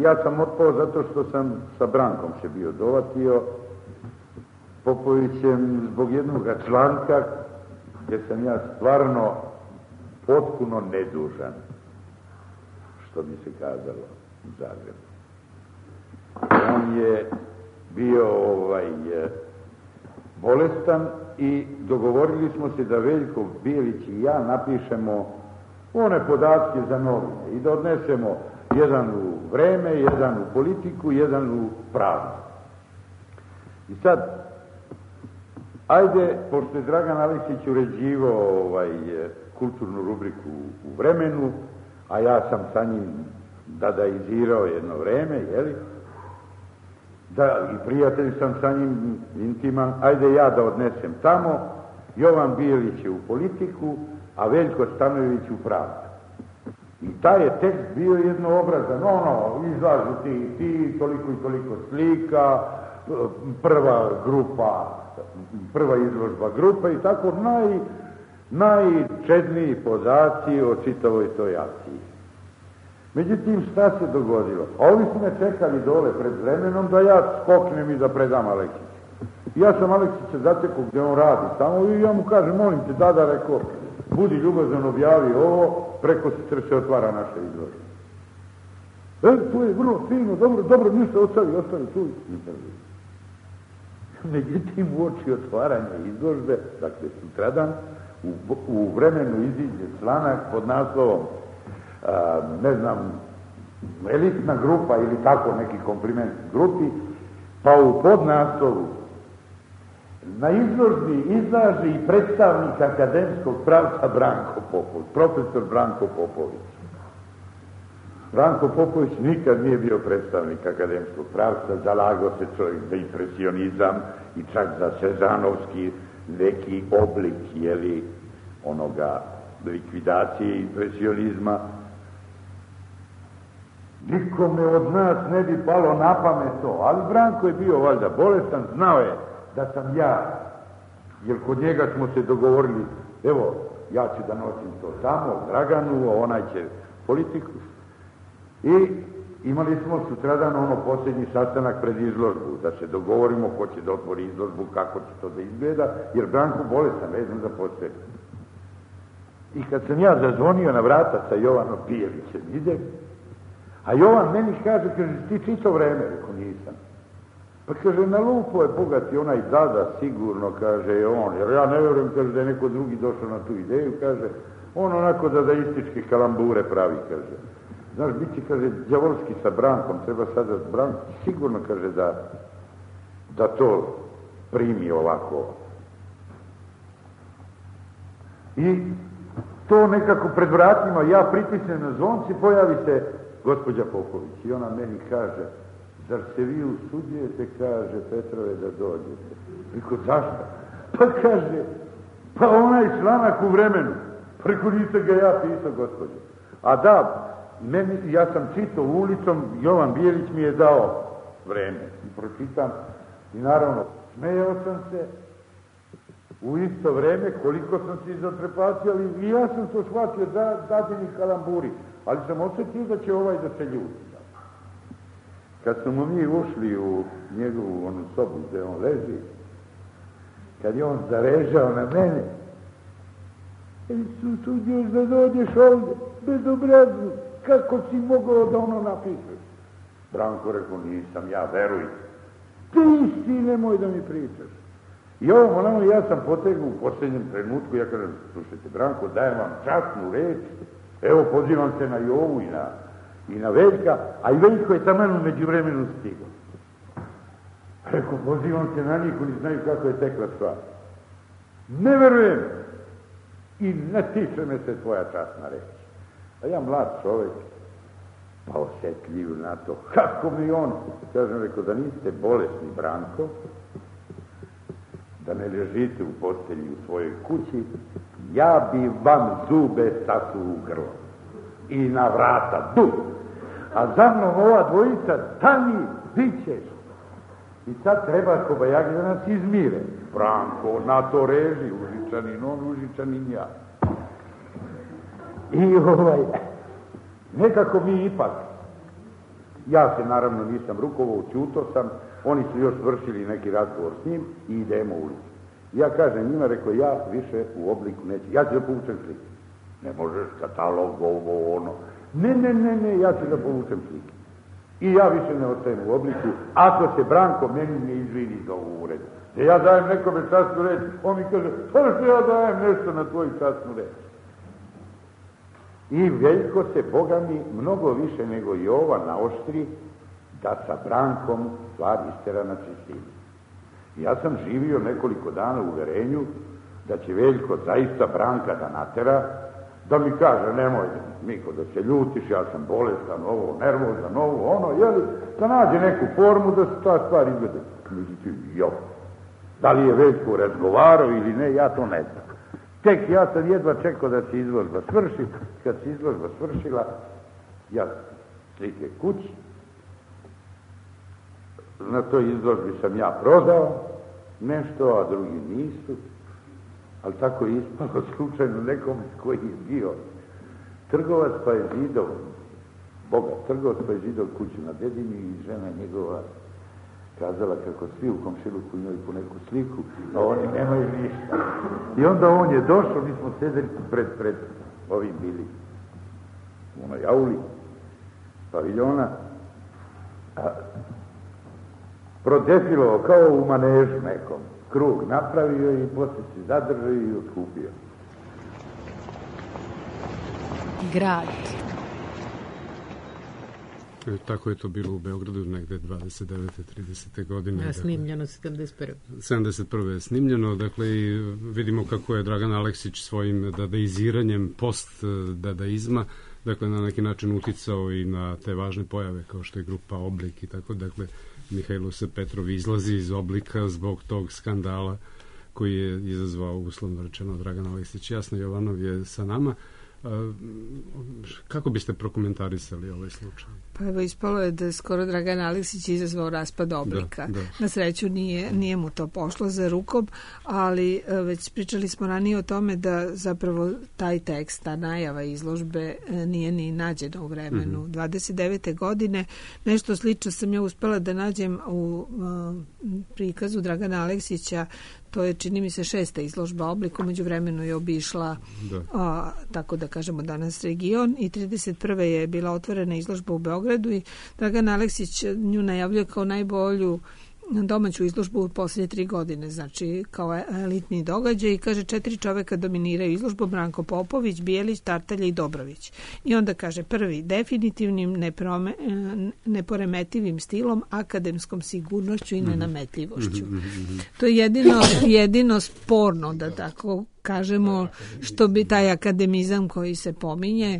S14: Ja sam otpao zato što sam sa Brankom se bio dovatio, Popovićem, zbog jednog članka gdje sam ja stvarno potpuno nedužan, što bi se kazalo u Zagrebu. On je bio bolestan i dogovorili smo se da Veljko Bijelić i ja napišemo one podatke za novine i da odnesemo jedan u Vreme, jedan u Politiku, jedan u Pravdu. I sad, ajde, pošto je Dragan Aleksić uređivao kulturnu rubriku u Vremenu, a ja sam sa njim dadaizirao jedno vreme, jeli? Da, i prijatelj sam sa njim intiman, ajde ja da odnesem tamo, Jovan Bijelić je u Politiku, a Veljko Stanojević u Pravdu. I taj je tekst bio jednoobrazan, izlažu ti, toliko i toliko slika, prva izložba grupa i tako najčedniji podaci o čitavoj toj akciji. Međutim, šta se dogodilo? Ovi su me čekali dole pred Vremenom da ja skoknem i da predam Aleksiću. Ja sam Aleksića zatekao gdje on radi tamo i ja mu kažem, molim te, Dada, rekao, budi ljubazan, objavi ovo, preko sutra se otvara naša izložba. To je vrlo fino, dobro, ništa, ostavi tu. Međutim, u oči otvaranja izložbe, dakle sutradan, u Vremenu iziđe članak pod naslovom, elitna grupa ili tako neki kompliment grupi, pa u podnaslovu na izložbi izlaže i predstavnik akademskog pravca Branko Popović, profesor Branko Popović. Branko Popović nikad nije bio predstavnik akademskog pravca, zalagao se čovjek za impresionizam i čak za sezanovski neki oblik, onoga likvidacije impresionizma. Nikome od nas ne bi palo na pamet to, ali Branko je bio valjda bolestan, znao je da sam ja, jer kod njega smo se dogovorili, evo, ja ću da nosim to tamo, Draganu, a onaj će Politiku. I imali smo sutradan posljednji sastanak pred izložbu, da se dogovorimo ko će da otvori izložbu, kako će to da izgleda, jer Branko bolestan, ne znam da postoje. I kad sam ja zazvonio na vrata sa Jovanom Bijelićem, ide, a Jovan meni kaže, ti čito vreme, rekao nisam. Pa kaže, na lupo je bogati onaj Dada, sigurno, kaže on, jer ja ne vjerujem, kaže, da je neko drugi došao na tu ideju, kaže, on onako dadaističke kalambure pravi, kaže. Znaš, bit će, kaže, đavolski sa Brankom, treba sada Branko, sigurno, kaže, da to primi ovako. I to nekako pred vratima, ja pritisnem na zvonci, pojavi se gospođa Popović i ona meni kaže, zar se vi usuđujete, kaže, Petrove, da dođete? Reko, zašto? Pa kaže, pa onaj članak u Vremenu, preko nisam ga ja pisao, gospođo. A da, ja sam čitao ulicom, Jovan Bijelić mi je dao Vreme i pročitam i naravno smejao sam se u isto vreme koliko sam se izotrepatio, ali i ja sam to shvatio dadini kalamburi, ali sam osjetio da će ovaj da se ljuti. Kad smo mi ušli u njegovu onu sobu gde on leži, kad je on zarežao na mene, usuđuješ da dođeš ovdje, bezobrazu, kako si mogao da ono napišeš? Branko rekao, nisam ja, veruj. Ti si, nemoj da mi pričaš. I ovo onamo ja sam potegao u posljednjem trenutku, ja kažem, slušajte Branko, dajem vam časnu reč, evo pozivam se na Jovu i na Veljka, a i Veljko je taman u međuvremenu stigao. Rekao, pozivam se na njih, oni znaju kako je tekla stvar. Ne verujem i ne tiče me se tvoja časna reč. A ja mlad čovjek, pa osjetljiv na to, kako mi on, kažem, rekao, da niste bolesni Branko, da ne ležite u postelji u svojoj kući, ja bi vam zube sasu u grlo i na vrata du, a za mnom ova dvojica stani, bit ćeš. I sad treba kobajagi da nas izmire. Branko, na to reži, Užičanin on, Užičanin ja. I nekako mi ipak, ja se naravno nisam rukovao, ćuto sam, oni su još vršili neki razgovor s njim i idemo u ulicu. Ja kažem njima, rekao, ja više u obliku neću, ja ću da povučem slike. Ne možeš katalog, ovo, ono. Ne, ja ću da povučem slike. I ja više ne ostajem u obliku, ako se Branko meni ne izvini za ovu uredu. Da ja dajem nekome časnu reč, on mi kaže, pa što ja dajem nešto na tvoju časnu reč. I Veljko se, Boga mi, mnogo više nego Jova naoštri da sa Brankom stvar istera na čistinu. Ja sam živio nekoliko dana u uverenju da će Veljko zaista Branka da natera, da mi kaže, nemoj Miko da se ljutiš, ja sam bolestan, ovo, nervozan, ovo, ono, jeli, da nađe neku formu da se ta stvar izvede. Međutim, da li je Veljko razgovarao ili ne, ja to ne znam. Tek ja sam jedva čekao da se izložba svrši. Kad se izložba svršila, ja slike kući. Na toj izložbi sam ja prodao nešto, a drugi nisu. Ali tako je ispalo slučajno nekom koji je bio trgovac, pa je zidao, bogat trgovac, pa je zidao kuću na Dedini i žena njegova kazala kako svi u komšiluku imaju po neku sliku, a oni nemaju ništa. I onda on je došao, mi smo sedeli pred ovim bili u onoj auli paviljona, prodefilovao kao u manežu nekom, krug napravio i poslije se zadržao i otkupio.
S7: Grad.
S4: Tako je to bilo u Beogradu negde 29. 30. godine.
S1: Snimljeno 71.
S4: 71. je snimljeno, dakle i vidimo kako je Dragan Aleksić svojim dadaiziranjem post-dadaizma, dakle na neki način uticao i na te važne pojave kao što je grupa Oblik i tako, dakle Mihajlo se Petrov izlazi iz Oblika zbog tog skandala koji je izazvao, uslovno rečeno, Dragan Aleksić. Jasno, Jovanov je sa nama. Kako biste prokomentarisali ovaj slučaj?
S5: Pa evo, ispalo je da skoro Dragan Aleksić izazvao raspad Oblika. Da. Na sreću nije mu to pošlo za rukom, ali već pričali smo ranije o tome da zapravo taj tekst, ta najava izložbe nije ni nađena u vremenu. 29. godine nešto slično sam ja uspela da nađem u prikazu Dragana Aleksića. To je, čini mi se, 6. izložba Oblik, umeđu vremenu je obišla, tako da kažemo danas, region, i 31. je bila otvorena izložba u Beogradu i Dragan Aleksić nju najavljuje kao najbolju domaću izložbu u posljednje 3 godine, znači kao elitni događaj, i kaže 4 čoveka dominiraju izložbu: Branko Popović, Bijelić, Tartalja i Dobrović. I onda kaže: prvi, definitivnim neporemetivim stilom, akademskom sigurnošću i nenametljivošću. To je jedino sporno, da tako kažemo, što bi taj akademizam koji se pominje.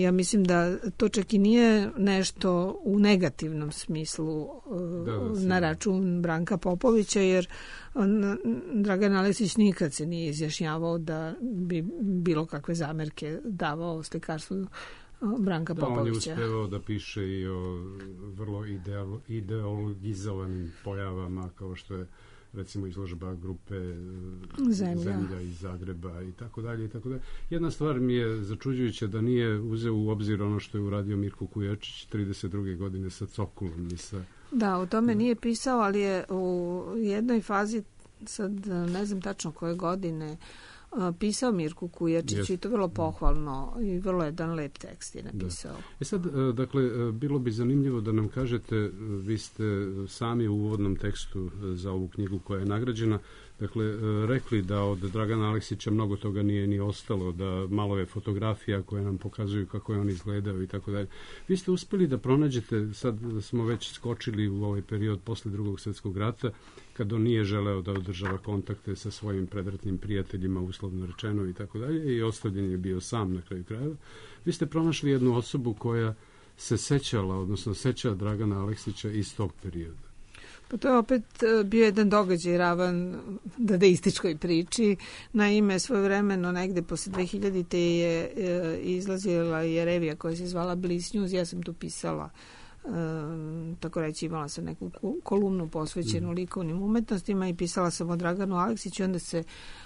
S5: Ja mislim da to čak i nije nešto u negativnom smislu na račun Branka Popovića, jer Dragan Aleksić nikad se nije izjašnjavao da bi bilo kakve zamerke davao slikarstvu Branka Popovića.
S4: On je uspevao da piše i o vrlo ideologizovanim pojavama, kao što je recimo izložba grupe Zemlja iz Zagreba i tako dalje i tako dalje. Jedna stvar mi je začuđujuća, da nije uzeo u obzir ono što je uradio Mirko Kujačić 32. godine sa Cokulom i sa... Da,
S5: o tome nije pisao, ali je u jednoj fazi, sad ne znam tačno koje godine, pisao Mirku Kujačiću i to vrlo pohvalno i vrlo jedan lep tekst je napisao.
S4: Sad, dakle, bilo bi zanimljivo da nam kažete, vi ste sami u uvodnom tekstu za ovu knjigu koja je nagrađena, dakle, rekli da od Dragana Aleksića mnogo toga nije ni ostalo, da malo je fotografija koje nam pokazuju kako je on izgledao i tako dalje. Vi ste uspeli da pronađete, sad smo već skočili u ovaj period posle Drugog svjetskog rata, kad on nije želeo da održava kontakte sa svojim predratnim prijateljima, uslovno rečeno i tako dalje, i ostavljen je bio sam na kraju krajeva. Vi ste pronašli jednu osobu koja se sećala, odnosno seća Dragana Aleksića iz tog perioda.
S5: Pa to je opet bio jedan događaj ravan dadaističkoj priči. Naime, svojevremeno negde posle 2000. je izlazila je revija koja se zvala Bliss News. Ja sam tu pisala, tako reći, imala sam neku kolumnu posvećenu likovnim umetnostima i pisala sam o Draganu Aleksiću. Onda se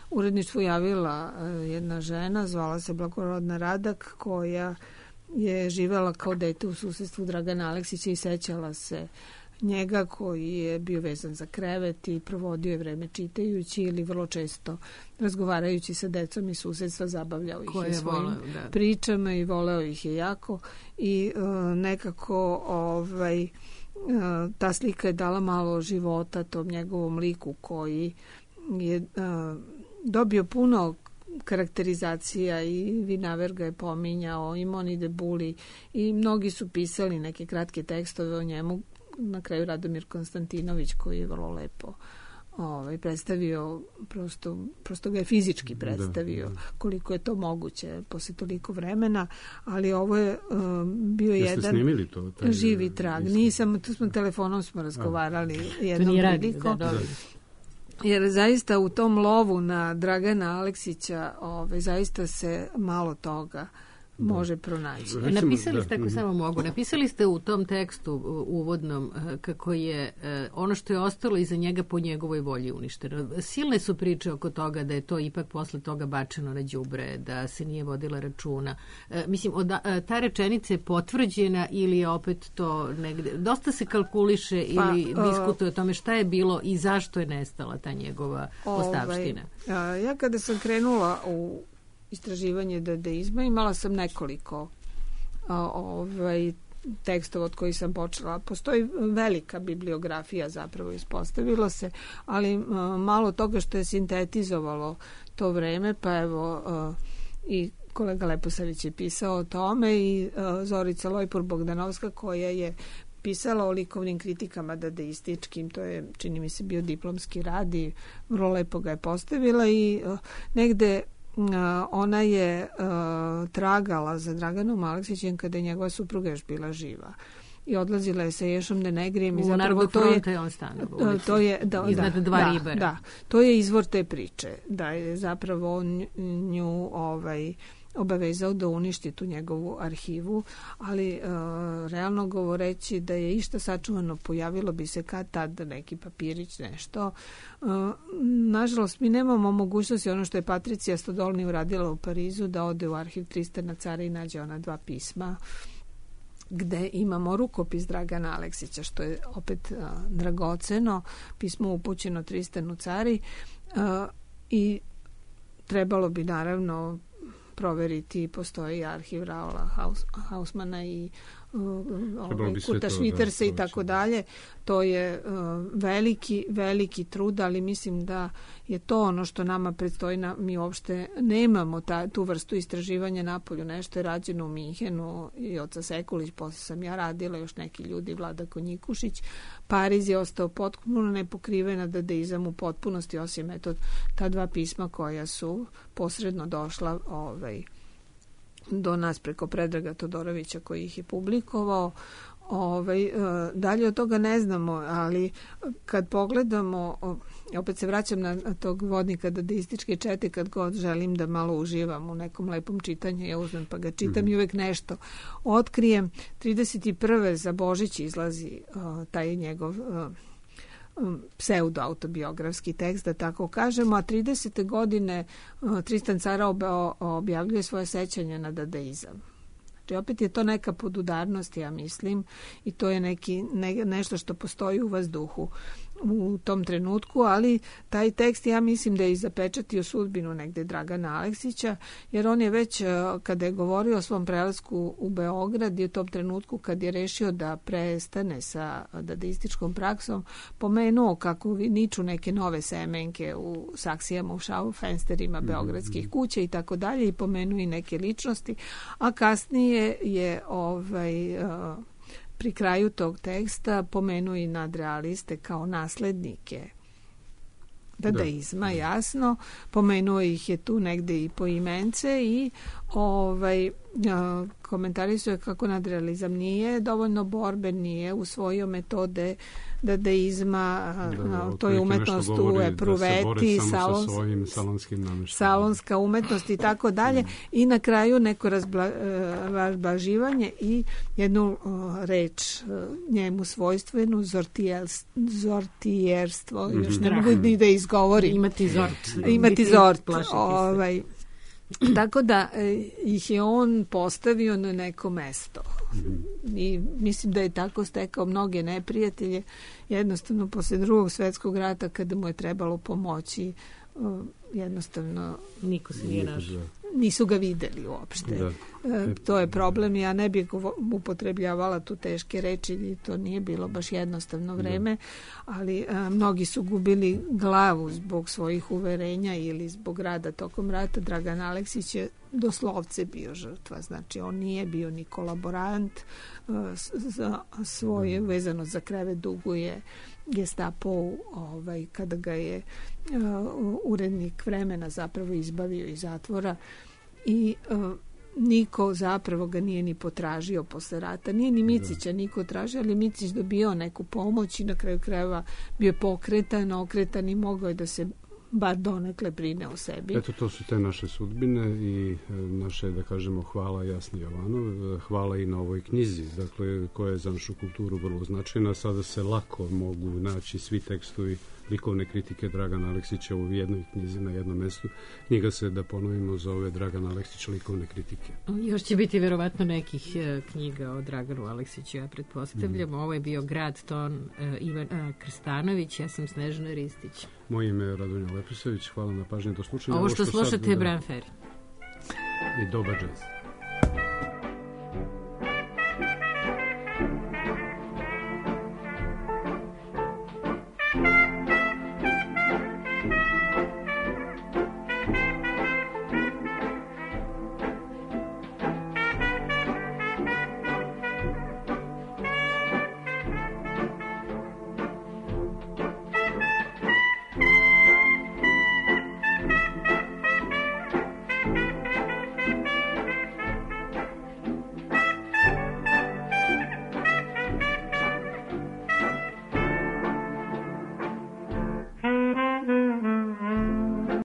S5: uredništvu javila jedna žena, zvala se Blagorodna Radak, koja je živela kao dete u susedstvu Dragana Aleksića i sećala se njega, koji je bio vezan za krevet i provodio je vreme čitajući ili vrlo često razgovarajući sa decom iz susedstva, zabavljao ih je svojim pričama i voleo ih je jako i nekako ta slika je dala malo života tom njegovom liku koji je dobio puno karakterizacija i Vinaver ga je pominjao i Moni de Buli i mnogi su pisali neke kratke tekstove o njemu, na kraju Radomir Konstantinović koji je vrlo lepo predstavio, prosto ga je fizički predstavio koliko je to moguće posle toliko vremena, ali ovo je bio jedan živi trag. Nisam, tu smo telefonom razgovarali jednom prilikom. Jer zaista u tom lovu na Dragana Aleksića zaista se malo toga može pronaći.
S1: Napisali ste, ako samo mogu, napisali ste u tom tekstu uvodnom kako je ono što je ostalo iza njega po njegovoj volji uništeno. Silne su priče oko toga da je to ipak posle toga bačeno na đubre, da se nije vodila računa. Mislim, ta rečenica je potvrđena ili je opet to negde, dosta se kalkuliše ili diskutuje o tome šta je bilo i zašto je nestala ta njegova ostavština.
S5: Ja kada sam krenula u istraživanje dadaizma, imala sam nekoliko tekstova od kojih sam počela. Postoji velika bibliografija, zapravo ispostavilo se, ali malo toga što je sintetizovalo to vreme, pa evo i kolega Leposavić je pisao o tome i Zorica Lojpur-Bogdanovska koja je pisala o likovnim kritikama dadaističkim, to je, čini mi se, bio diplomski rad i vrlo lepo ga je postavila i negde ona je tragala za Draganom Aleksićem kada je njegova supruga još bila živa i odlazila je sa Ješom de Negrijem i zapravo to je
S1: iznad dva ribara.
S5: Da, to je izvor te priče, da je zapravo nju obavezao da uništi tu njegovu arhivu, ali realno govoreći da je išta sačuvano, pojavilo bi se kad tad neki papirić, nešto. Nažalost, mi nemamo mogućnosti, ono što je Patricija Stodolni uradila u Parizu, da ode u arhiv Tristana Cara i nađe ona 2 pisma gde imamo rukopis Dragana Aleksića, što je opet dragoceno, pismo upućeno Tristanu Cari i trebalo bi naravno proveriti, postoji arhiv Raola Hausmana i Kurta Švitersa i tako dalje. To je veliki trud, ali mislim da je to ono što nama predstoji. Mi uopšte nemamo tu vrstu istraživanja napolju. Nešto je rađeno u Minhenu i Oca Sekulić, posle sam ja radila, još neki ljudi, Vlada Konjikušić. Pariz je ostao potpuno nepokrivena dadaizam u potpunosti, osim ta 2 pisma koja su posredno došla do nas preko Predraga Todorovića koji ih je publikovao. Dalje od toga ne znamo, ali kad pogledamo, opet se vraćam na tog vodnika dadaističke čete, kad god želim da malo uživam u nekom lepom čitanju, ja uzmem pa ga čitam i uvek nešto otkrijem. 31. za Božić izlazi taj njegov pseudo-autobiografski tekst, da tako kažemo, a 30. godine Tristan Cara objavljuje svoje sećanje na dadaizam. Znači, opet je to neka podudarnost, ja mislim, i to je nešto što postoji u vazduhu. u tom trenutku, ali taj tekst ja mislim da je i zapečatio sudbinu negde Dragana Aleksića, jer on je već kada je govorio o svom prelasku u Beograd i u tom trenutku kad je rešio da prestane sa dadaističkom praksom, pomenuo kako niču neke nove semenke u saksijama, u šaufensterima beogradskih kuća i tako dalje, i pomenuo i neke ličnosti, a kasnije je pri kraju tog teksta pomenuo i nadrealiste kao naslednike dadaizma, jasno. Pomenuo ih je tu negde i po imence i komentarisuje kako nadrealizam nije dovoljno borben, nije usvojio metode dadaizma, to je umetnost u epruveti, salonska umetnost i tako dalje, i na kraju neko razblaživanje i jednu reč njemu svojstvenu, zortijerstvo, još ne mogu ni da izgovorim. Imati zort. Tako da ih je on postavio na neko mesto i mislim da je tako stekao mnoge neprijatelje. Jednostavno posle Drugog svjetskog rata, kada mu je trebalo pomoći, jednostavno
S1: niko se nije našao.
S5: Nisu ga videli uopšte. To je problem. Ja ne bih upotrebljavala tu teške reči, to nije bilo baš jednostavno vreme, ali mnogi su gubili glavu zbog svojih uverenja ili zbog rada tokom rata. Dragan Aleksić je doslovce bio žrtva, znači on nije bio ni kolaborant, za svoje vezano za krevet duguje Gestapo kada ga je urednik Vremena zapravo izbavio iz zatvora i niko zapravo ga nije ni potražio posle rata, nije ni Micića niko tražio, ali Micić dobio neku pomoć i na kraju krajeva bio je pokretan, okretan i mogao je da se bar donekle brine o sebi.
S4: Eto, to su te naše sudbine i naše, da kažemo, hvala Jasni Jovanov, hvala i na ovoj knjizi, dakle, koja je za našu kulturu vrlo značajna. Sada se lako mogu naći svi tekstovi likovne kritike Dragana Aleksića u jednoj knjizi na jednom mestu. Knjiga se, da ponovimo, zove Dragan Aleksić likovne kritike.
S1: Još će biti verovatno nekih knjiga o Draganu Aleksiću, ja pretpostavljam. Ovo je bio Grad ton Ivan Krstanović, ja sam Snežana Ristić.
S4: Moje ime je Radonja Lepisović, hvala na pažnji, do slušanja.
S1: Ovo što slušate je Bran Ferry.
S4: I dobar džez.